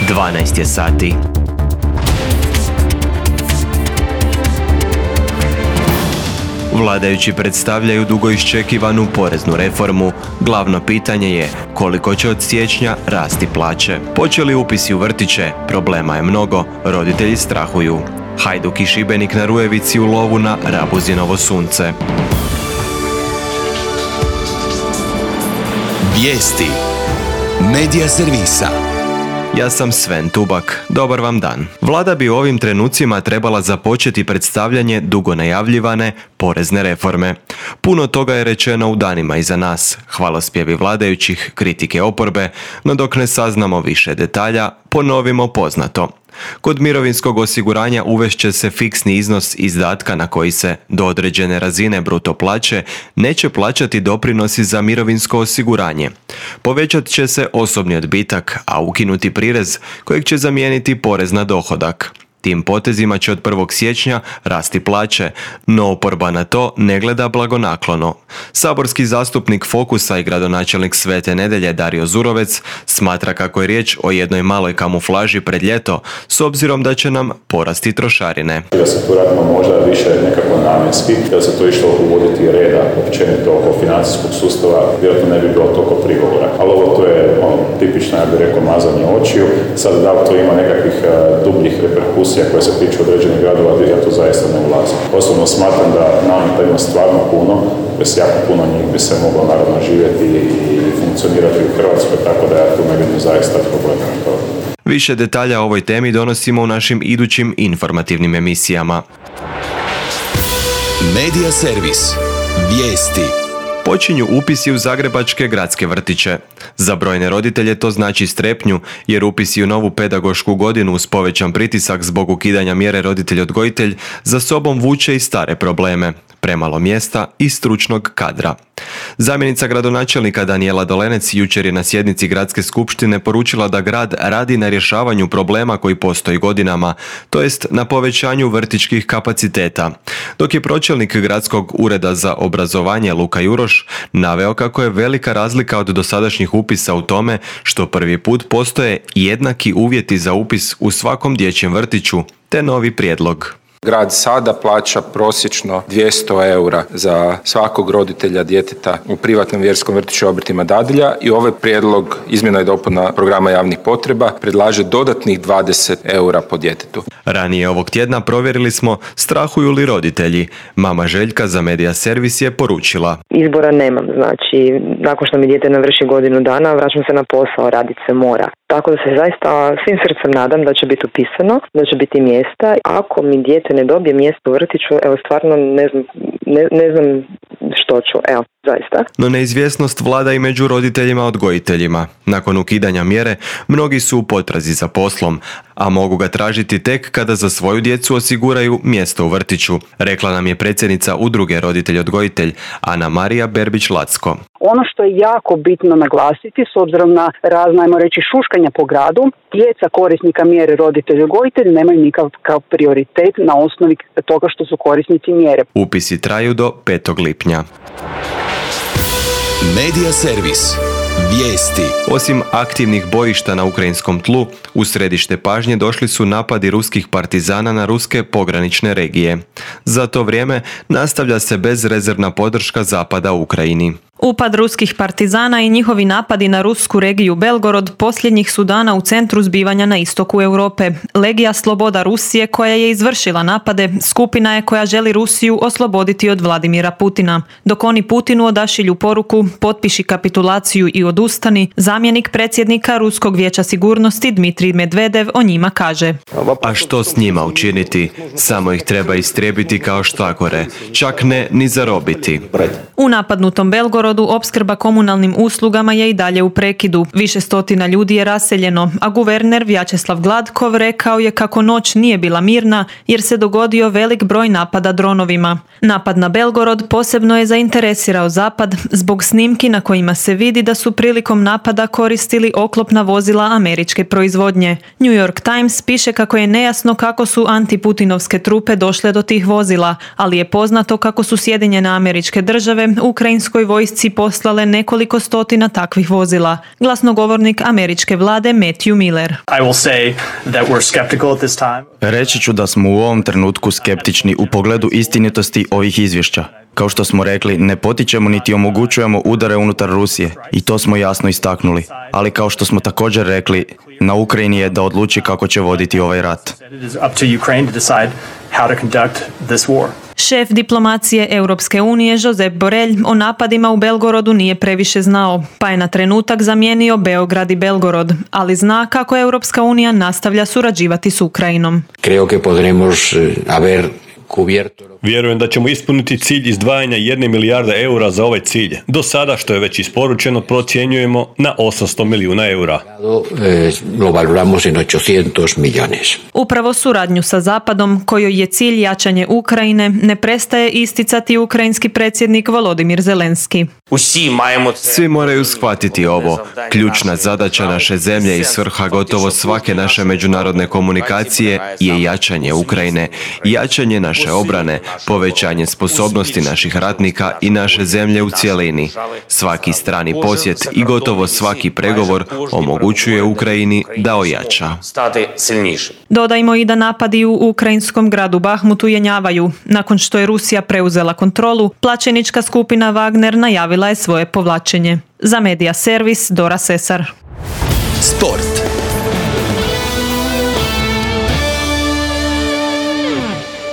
12 je sati. Vladajući predstavljaju dugo iščekivanu poreznu reformu. Glavno pitanje je koliko će od siječnja rasti plaće. Počeli upisi u vrtiće, problema je mnogo, roditelji strahuju. Hajduk i Šibenik na Rujevici u lovu na Rabuzinovo sunce. Vijesti Medija servisa. Ja sam Sven Tubak. Dobar vam dan. Vlada bi u ovim trenucima trebala započeti predstavljanje dugo najavljivane porezne reforme. Puno toga je rečeno u danima iza nas. Hvalospjevi vladajućih, kritike oporbe, no dok ne saznamo više detalja, ponovimo poznato. Kod mirovinskog osiguranja uvešće se fiksni iznos izdatka na koji se do određene razine bruto plaće neće plaćati doprinosi za mirovinsko osiguranje. Povećat će se osobni odbitak, a ukinuti prirez kojeg će zamijeniti porez na dohodak. Tim potezima će od 1. siječnja rasti plaće, no oporba na to ne gleda blagonaklono. Saborski zastupnik Fokusa i gradonačelnik Svete Nedelje Dario Zurovec smatra kako je riječ o jednoj maloj kamuflaži pred ljeto, s obzirom da će nam porasti trošarine. Da se tu radimo možda više nekako namjenski, da se to išlo uvoditi reda općenito oko financijskog sustava, vjerojatno ne bi bilo toliko prigovora. Ali ovo to je tipično, ja bih rekao, mazanje očiju. Sad da li to ima nekakvih dubljih reperkusija koje se tiču određenih gradova, ja to zaista ne ulazim. Osobno smatram da nameta ima stvarno puno, bez jako puno njih bi se moglo naravno živjeti i funkcionirati u Hrvatskoj, tako da ja tu ne vidim zaista problema. Više detalja o ovoj temi donosimo u našim idućim informativnim emisijama. Medija servis. Vijesti. Počinju upisi u zagrebačke gradske vrtiće. Za brojne roditelje to znači strepnju, jer upisi u novu pedagošku godinu uz povećan pritisak zbog ukidanja mjere roditelj-odgojitelj za sobom vuče i stare probleme, premalo mjesta i stručnog kadra. Zamjenica gradonačelnika Danijela Dolenec jučer je na sjednici gradske skupštine poručila da grad radi na rješavanju problema koji postoji godinama, to jest na povećanju vrtićkih kapaciteta. Dok je pročelnik gradskog ureda za obrazovanje Luka Juroš naveo kako je velika razlika od dosadašnjih upisa u tome što prvi put postoje jednaki uvjeti za upis u svakom dječjem vrtiću, te novi prijedlog. Grad sada plaća prosječno 200 eura za svakog roditelja djeteta u privatnom vjerskom vrtiću Obrtima dadilja i ovaj prijedlog izmjena i dopuna programa javnih potreba predlaže dodatnih 20 eura po djetetu. Ranije ovog tjedna provjerili smo strahuju li roditelji. Mama Željka za Medija servis je poručila: Izbora nemam, znači nakon što mi dijete navrši godinu dana vraćam se na posao, radit se mora. Tako da se zaista svim srcem nadam da će biti upisano, da će biti mjesta. Ako mi dijete ne dobije mjesto u vrtiću, evo stvarno ne znam što ću, evo, zaista. No neizvjesnost vlada i među roditeljima odgojiteljima. Nakon ukidanja mjere, mnogi su u potrazi za poslom, a mogu ga tražiti tek kada za svoju djecu osiguraju mjesto u vrtiću, rekla nam je predsjednica udruge Roditelj-odgojitelj Ana Marija Berbić-Lacko. Ono što je jako bitno naglasiti, s obzirom na razna, ajmo reći, šuškanja po gradu, djeca korisnika mjere roditelj-odgojitelj nemaju nikakav prioritet na osnovi toga što su korisnici mjere. Upisi traju do 5. lipnja. Medija servis. Vijesti. Osim aktivnih bojišta na ukrajinskom tlu, u središte pažnje došli su napadi ruskih partizana na ruske pogranične regije. Za to vrijeme nastavlja se bezrezervna podrška Zapada Ukrajini. Upad ruskih partizana i njihovi napadi na rusku regiju Belgorod posljednjih su dana u centru zbivanja na istoku Europe. Legija Sloboda Rusije, koja je izvršila napade, skupina je koja želi Rusiju osloboditi od Vladimira Putina. Dok oni Putinu odašilju poruku potpiši kapitulaciju i odustani, zamjenik predsjednika Ruskog vijeća sigurnosti Dmitrij Medvedev o njima kaže: A što s njima učiniti? Samo ih treba istrijebiti kao štakore, čak ne ni zarobiti. U napadnutom Belgorodu opskrba komunalnim uslugama je i dalje u prekidu. Više stotina ljudi je raseljeno, a guverner Vjačeslav Gladkov rekao je kako noć nije bila mirna jer se dogodio velik broj napada dronovima. Napad na Belgorod posebno je zainteresirao Zapad zbog snimki na kojima se vidi da su prilikom napada koristili oklopna vozila američke proizvodnje. New York Times piše kako je nejasno kako su antiputinovske trupe došle do tih vozila, ali je poznato kako su Sjedinjene Američke Države ukrajinskoj vojsci vojsci poslale nekoliko stotina takvih vozila. Glasnogovornik američke vlade Matthew Miller. Reći ću da smo u ovom trenutku skeptični u pogledu istinitosti ovih izvješća. Kao što smo rekli, ne potičemo niti omogućujemo udare unutar Rusije i to smo jasno istaknuli. Ali kao što smo također rekli, na Ukrajini je da odluči kako će voditi ovaj rat. Šef diplomacije Europske unije Josep Borrell o napadima u Belgorodu nije previše znao, pa je na trenutak zamijenio Beograd i Belgorod, ali zna kako Europska unija nastavlja surađivati s Ukrajinom. Creo que podremos haber Vjerujem da ćemo ispuniti cilj izdvajanja 1 milijarda eura za ovaj cilj. Do sada, što je već isporučeno, procjenjujemo na 800 milijuna eura. Lo valoramos en 800 millones. Upravo suradnju sa Zapadom, kojoj je cilj jačanje Ukrajine, ne prestaje isticati ukrajinski predsjednik Volodimir Zelenski. Svi moraju shvatiti ovo. Ključna zadaća naše zemlje i svrha gotovo svake naše međunarodne komunikacije je jačanje Ukrajine, jačanje naše obrane, povećanje sposobnosti naših ratnika i naše zemlje u cjelini. Svaki strani posjet i gotovo svaki pregovor omogućuje Ukrajini da ojača. Dodajmo i da napadi u ukrajinskom gradu Bahmutu jenjavaju. Nakon što je Rusija preuzela kontrolu, plaćenička skupina Wagner najavila je svoje povlačenje. Za Media Servis, Dora Sesar. Sport.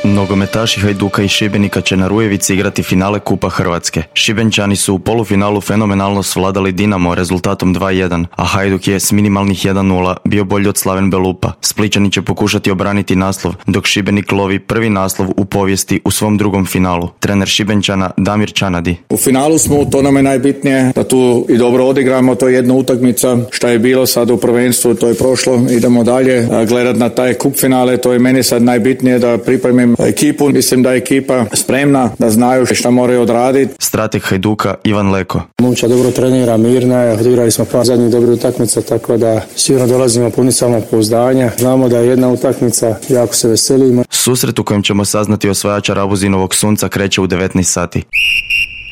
Nogometaši Hajduka i Šibenika će na Rujevici igrati finale Kupa Hrvatske. Šibenčani su u polufinalu fenomenalno svladali Dinamo rezultatom 2-1, a Hajduk je s minimalnih 1-0 bio bolji od Slaven Belupa. Splićani će pokušati obraniti naslov, dok Šibenik lovi prvi naslov u povijesti u svom drugom finalu. Trener Šibenčana Damir Čanadi. U finalu smo, to nam je najbitnije, da tu i dobro odigramo, to je jedna utakmica, šta je bilo sad u prvenstvu, to je prošlo, idemo dalje, gledat na taj kup finale, to je meni sad najbitnije da pripremim ekipu, mislim da je ekipa spremna, da znaju šta moraju odraditi. Strateg Hajduka Ivan Leko. Momčad dobro trenira, mirna je, odigrali smo par zadnjih dobrih utakmica, tako da sigurno dolazimo puni samopouzdanja. Znamo da je jedna utakmica, jako se veselimo. Susret u kojem ćemo saznati osvajača Rabuzinovog sunca kreće u 19 sati.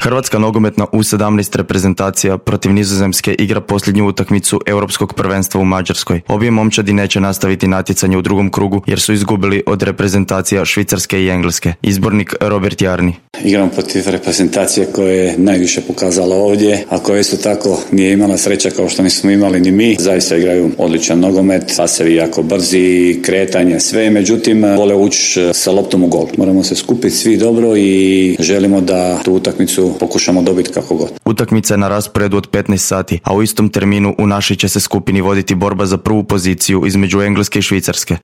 Hrvatska nogometna U17 reprezentacija protiv Nizozemske igra posljednju utakmicu Europskog prvenstva u Mađarskoj. Obje momčadi neće nastaviti natjecanje u drugom krugu jer su izgubili od reprezentacija Švicarske i Engleske. Izbornik Robert Jarni. Igram protiv reprezentacije koja je najviše pokazala ovdje, a koja isto tako nije imala sreća kao što nismo imali ni mi. Zaista igraju odličan nogomet, pasevi jako brzi, kretanje, sve, međutim vole ući sa loptom u gol. Moramo se skupiti svi dobro i želimo da tu utakmicu pokušamo dobiti kako god. Utakmica je na rasporedu od 15 sati, a u istom terminu u našoj će se skupini voditi borba za prvu poziciju između Engleske i Švicarske.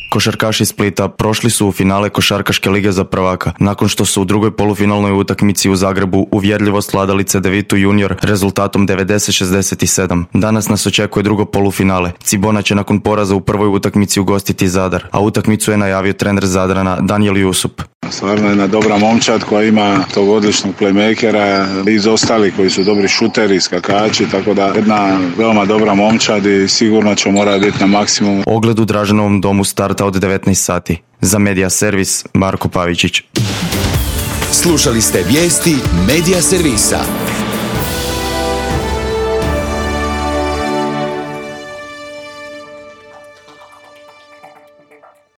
Košarkaši Splita prošli su u finale Košarkaške lige za prvaka, nakon što su u drugoj polufinalnoj utakmici u Zagrebu uvjerljivo svladali CDVitu Junior rezultatom 90-67. Danas nas očekuje drugo polufinale. Cibona će nakon poraza u prvoj utakmici ugostiti Zadar, a utakmicu je najavio trener Zadrana Danijel Jusup. Stvarno jedna dobra momčad koja ima tog odličnog playmakera i iz ostali koji su dobri šuteri, skakači, tako da jedna veoma dobra momčad i sigurno će morati biti na maksimumu. Ogled u Draženovom domu starta od 19 sati. Za Media Servis, Marko Pavičić. Slušali ste vijesti Media Servisa.